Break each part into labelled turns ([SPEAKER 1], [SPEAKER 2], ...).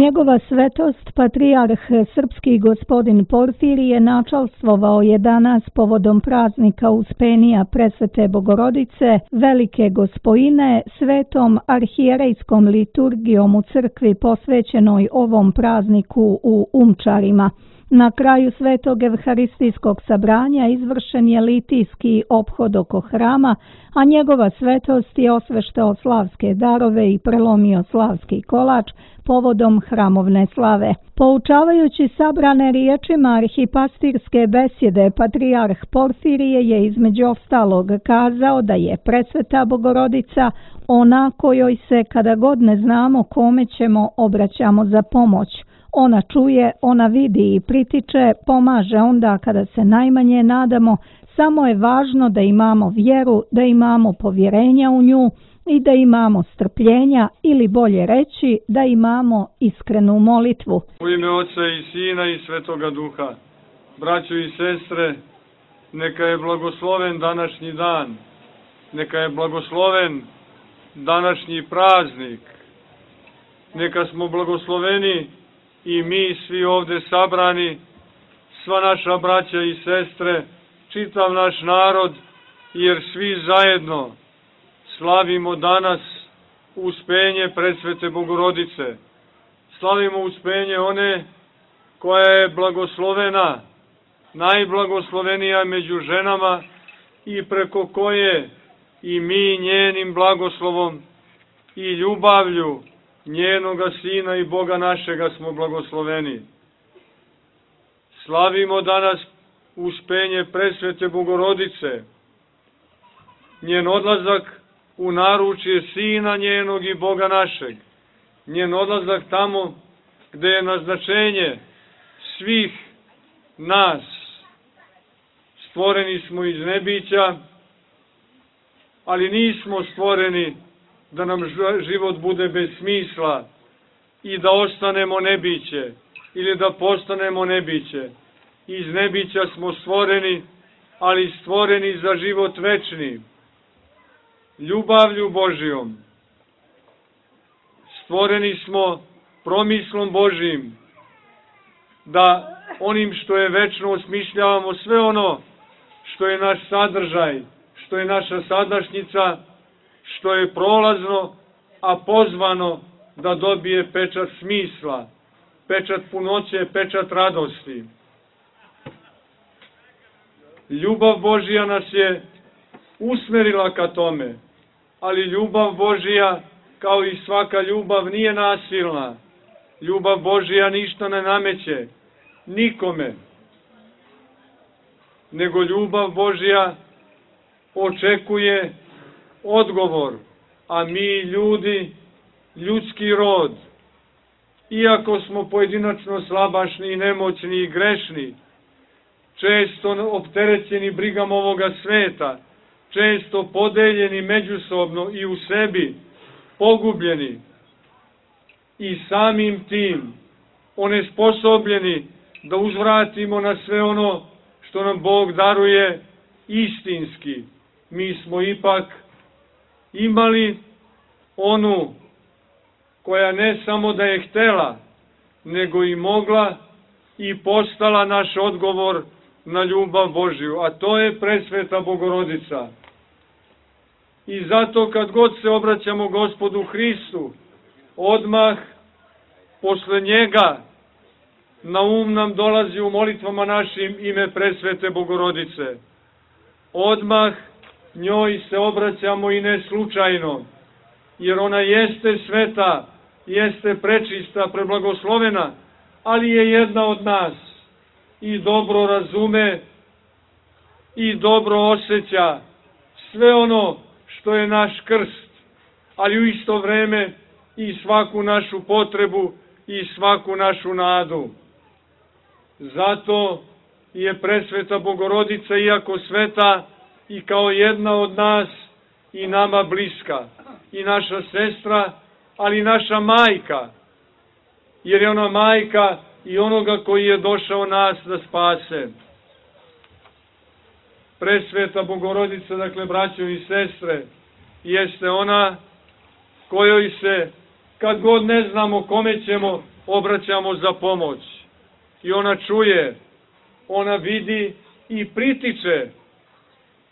[SPEAKER 1] Njegova svetost, patrijarh srpski gospodin Porfirije, načalstvovao je danas povodom praznika Uspenija Presvete Bogorodice, Velike Gospojine, svetom arhijerejskom liturgijom u crkvi posvećenoj ovom prazniku u Umčarima. Na kraju svetog evharistijskog sabranja izvršen je litijski ophod oko hrama, a njegova svetost je osveštao slavske darove i prelomio slavski kolač povodom hramovne slave. Poučavajući sabrane riječima arhipastirske besjede, patrijarh Porfirije je između ostalog kazao da je Presveta Bogorodica ona kojoj se, kada god ne znamo kome ćemo, obraćamo za pomoć. Ona čuje, ona vidi i pritiče, pomaže onda kada se najmanje nadamo, samo je važno da imamo vjeru, da imamo povjerenja u nju i da imamo strpljenja, ili bolje reći, da imamo iskrenu molitvu.
[SPEAKER 2] U ime Oca i Sina i Svetoga Duha, braćo i sestre, neka je blagosloven današnji dan, neka je blagosloven današnji praznik, neka smo blagosloveni i mi svi ovdje sabrani, sva naša braća i sestre, čitav naš narod, jer svi zajedno slavimo danas uspenje Presvete Bogorodice. Slavimo uspenje one koja je blagoslovena, najblagoslovenija među ženama i preko koje i mi njenim blagoslovom i ljubavlju njenoga Sina i Boga našega smo blagosloveni. Slavimo danas uspenje Presvete Bogorodice, njen odlazak u naručje Sina njenog i Boga našeg, njen odlazak tamo gde je naznačenje svih nas. Stvoreni smo iz nebića, ali nismo stvoreni da nam život bude bez smisla i da ostanemo nebiće ili da postanemo nebiće. Iz nebića smo stvoreni, ali stvoreni za život večni, ljubavlju Božijom. Stvoreni smo promislom Božijim, da onim što je večno osmišljavamo sve ono što je naš sadržaj, što je naša sadašnjica, što je prolazno, a pozvano da dobije pečat smisla, pečat punoće, pečat radosti. Ljubav Božija nas je usmerila ka tome, ali ljubav Božija, kao i svaka ljubav, nije nasilna. Ljubav Božija ništa ne nameće nikome, nego ljubav Božija očekuje odgovor, a mi ljudi, ljudski rod, iako smo pojedinačno slabašni i nemoćni i grešni, često opterećeni brigama ovoga sveta, često podeljeni međusobno i u sebi, pogubljeni i samim tim onesposobljeni da uzvratimo na sve ono što nam Bog daruje istinski. Mi smo ipak imali onu koja ne samo da je htela, nego i mogla i postala naš odgovor na ljubav Božiju, a to je Presveta Bogorodica. I zato kad god se obraćamo Gospodu Hristu, odmah posle njega na um nam dolazi u molitvama našim ime Presvete Bogorodice. Odmah njoj se obraćamo i ne slučajno, jer ona jeste sveta, jeste prečista, preblagoslovena, ali je jedna od nas i dobro razume i dobro osjeća sve ono što je naš krst, ali u isto vreme i svaku našu potrebu i svaku našu nadu. Zato je Presveta Bogorodica, iako sveta, i kao jedna od nas i nama bliska, i naša sestra, ali i naša majka, jer je ona majka i onoga koji je došao nas da spase. Presveta Bogorodica, dakle, braćo i sestre, jeste ona kojoj se, kad god ne znamo kome ćemo, obraćamo za pomoć. I ona čuje, ona vidi i pritiče,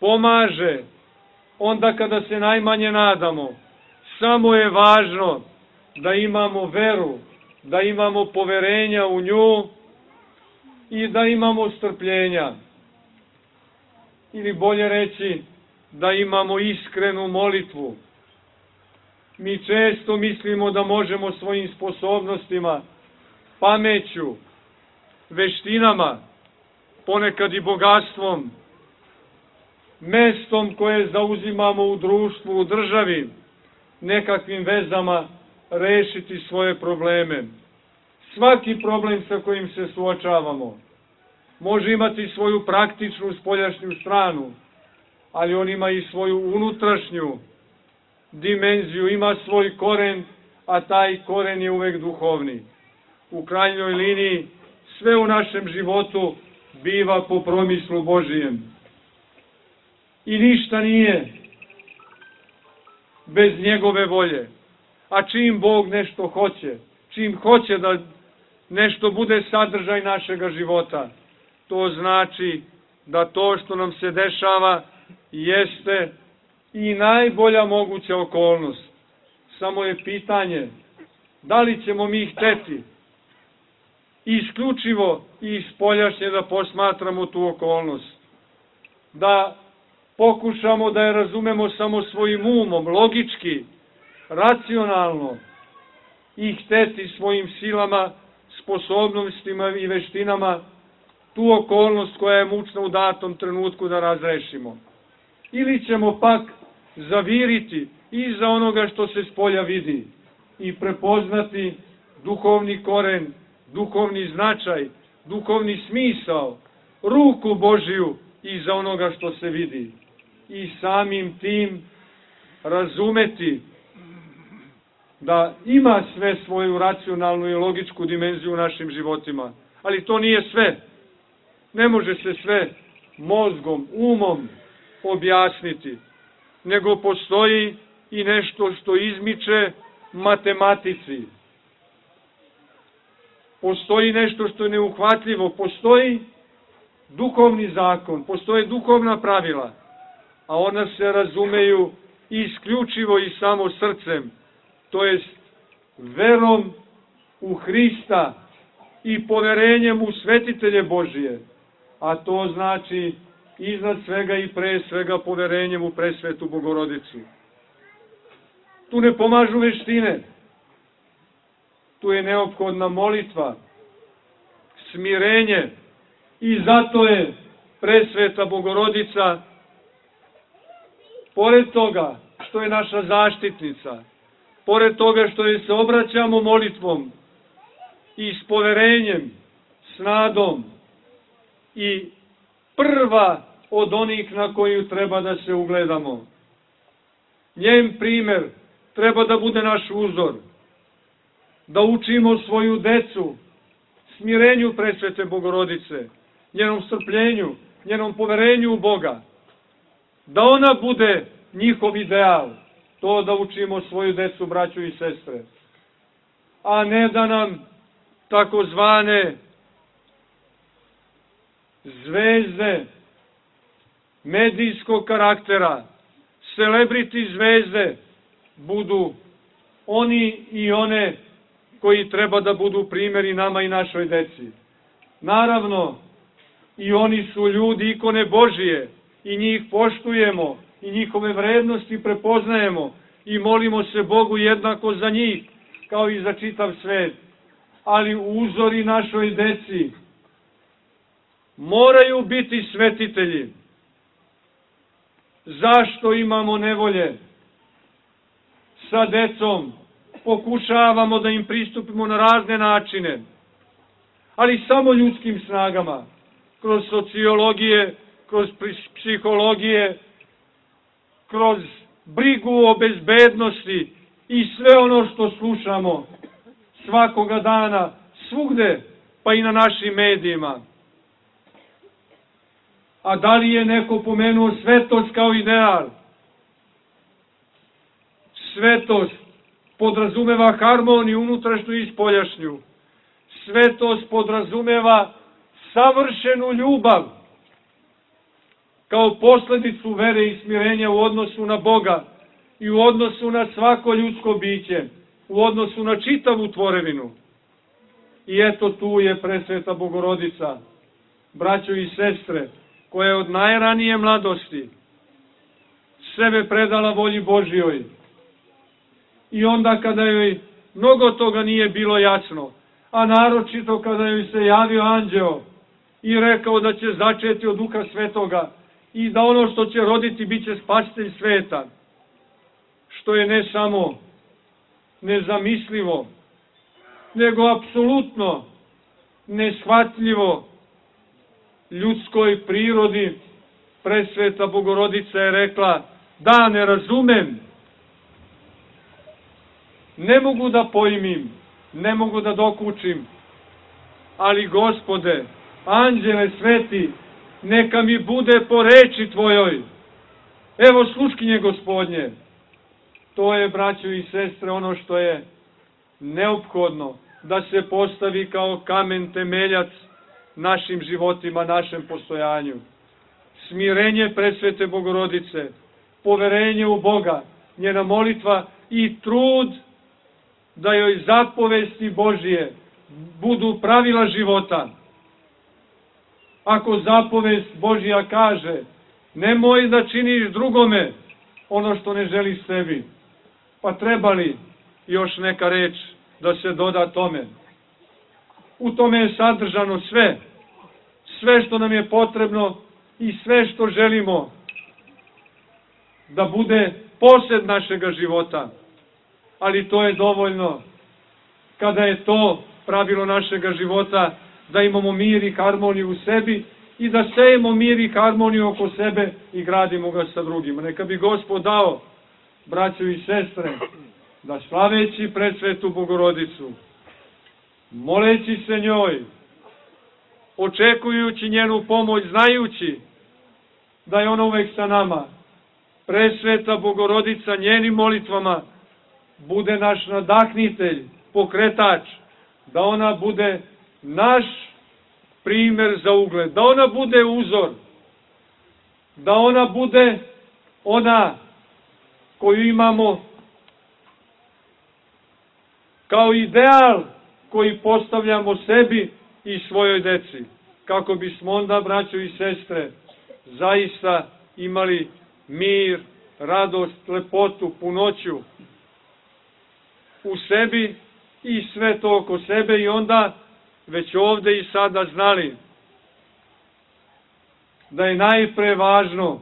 [SPEAKER 2] pomaže, onda kada se najmanje nadamo. Samo je važno da imamo veru, da imamo poverenja u nju i da imamo strpljenja. Ili bolje reći, da imamo iskrenu molitvu. Mi često mislimo da možemo svojim sposobnostima, pameću, veštinama, ponekad i bogatstvom, mestom koje zauzimamo u društvu, u državi, nekakvim vezama rešiti svoje probleme. Svaki problem sa kojim se suočavamo može imati svoju praktičnu spoljašnju stranu, ali on ima i svoju unutrašnju dimenziju, ima svoj koren, a taj koren je uvek duhovni. U krajnjoj liniji sve u našem životu biva po promislu Božijem. I ništa nije bez njegove volje. A čim Bog nešto hoće, čim hoće da nešto bude sadržaj našega života, to znači da to što nam se dešava jeste i najbolja moguća okolnost. Samo je pitanje da li ćemo mi hteti isključivo i spoljašnje da posmatramo tu okolnost, da pokušamo da je razumemo samo svojim umom, logički, racionalno i hteti svojim silama, sposobnostima i veštinama tu okolnost koja je mučna u datom trenutku da razrešimo. Ili ćemo pak zaviriti iza onoga što se spolja vidi i prepoznati duhovni koren, duhovni značaj, duhovni smisao, ruku Božiju iza onoga što se vidi. I samim tim razumeti da ima sve svoju racionalnu i logičku dimenziju u našim životima. Ali to nije sve. Ne može se sve mozgom, umom objasniti, nego postoji i nešto što izmiče matematici. Postoji nešto što je neuhvatljivo, postoji duhovni zakon, postoje duhovna pravila, a ona se razumeju isključivo i samo srcem, to jest verom u Hrista i poverenjem u svetitelje Božije, a to znači iznad svega i pre svega poverenjem u presvetu Bogorodicu. Tu ne pomažu veštine, tu je neophodna molitva, smirenje i zato je presveta Bogorodica, pored toga što je naša zaštitnica, pored toga što joj se obraćamo molitvom i s poverenjem, s nadom i prva od onih na koju treba da se ugledamo. Njen primer treba da bude naš uzor, da učimo svoju decu smirenju presvete Bogorodice, njenom strpljenju, njenom poverenju u Boga, da ona bude njihov ideal, to da učimo svoju decu, braću i sestre, a ne da nam takozvane zvezde medijskog karaktera, celebrity zvezde, budu oni i one koji treba da budu primjeri nama i našoj deci. Naravno, i oni su ljudi, ikone Božije, i njih poštujemo, i njihove vrednosti prepoznajemo, i molimo se Bogu jednako za njih, kao i za čitav svet. Ali uzori našoj deci moraju biti svetitelji. Zašto imamo nevolje sa decom? Pokušavamo da im pristupimo na razne načine, ali samo ljudskim snagama, kroz sociologije, kroz psihologije, kroz brigu o bezbednosti i sve ono što slušamo svakoga dana, svugde, pa i na našim medijima. A da li je neko pomenuo svetost kao ideal? Svetost podrazumeva harmoniju unutrašnju i spoljašnju. Svetost podrazumeva savršenu ljubav kao posledicu vere i smirenja u odnosu na Boga i u odnosu na svako ljudsko biće, u odnosu na čitavu tvorevinu. I eto tu je presveta Bogorodica, braćo i sestre, koja je od najranije mladosti sebe predala volji Božjoj. I onda kada joj mnogo toga nije bilo jasno, a naročito kada joj se javio anđeo i rekao da će začeti od Duha Svetoga i da ono što će roditi bit će spasitelj sveta, što je ne samo nezamislivo, nego apsolutno neshvatljivo ljudskoj prirodi, presveta Bogorodica je rekla: da, ne razumem, ne mogu da pojmim, ne mogu da dokučim, ali Gospode, anđele sveti, neka mi bude po reči Tvojoj. Evo sluškinje Gospodnje. To je, braćo i sestre, ono što je neophodno da se postavi kao kamen temeljac našim životima, našem postojanju. Smirenje presvete Bogorodice, poverenje u Boga, njena molitva i trud da joj zapovesti Božije budu pravila života. Ako zapovest Božja kaže: nemoj da činiš drugome ono što ne želiš sebi, pa treba li još neka reč da se doda tome? U tome je sadržano sve, sve što nam je potrebno i sve što želimo da bude posed našega života. Ali to je dovoljno kada je to pravilo našega života, da imamo mir i harmoniju u sebi i da sejemo mir i harmoniju oko sebe i gradimo ga sa drugima. Neka bi Gospod dao, braćo i sestre, da slaveći presvetu Bogorodicu, moleći se njoj, očekujući njenu pomoć, znajući da je ona uvek sa nama, presveta Bogorodica njenim molitvama bude naš nadahnitelj, pokretač, da ona bude naš primer za ugled, da ona bude uzor, da ona bude ona koju imamo kao ideal koji postavljamo sebi i svojoj deci, kako bismo onda, braćo i sestre, zaista imali mir, radost, lepotu, punoću u sebi i sve to oko sebe, i onda već ovde i sada znali da je najpre važno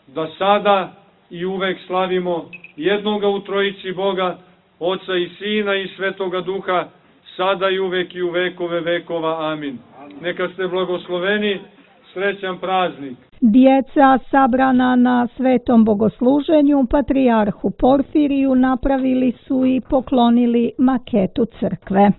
[SPEAKER 2] da sada i uvek slavimo jednoga u trojici Boga, Oca i Sina i Svetoga Duha, sada i uvek i u vekove vekova. Amin. Neka ste blagosloveni, srećan praznik.
[SPEAKER 1] Djeca sabrana na svetom bogosluženju patrijarhu Porfiriju napravili su i poklonili maketu crkve.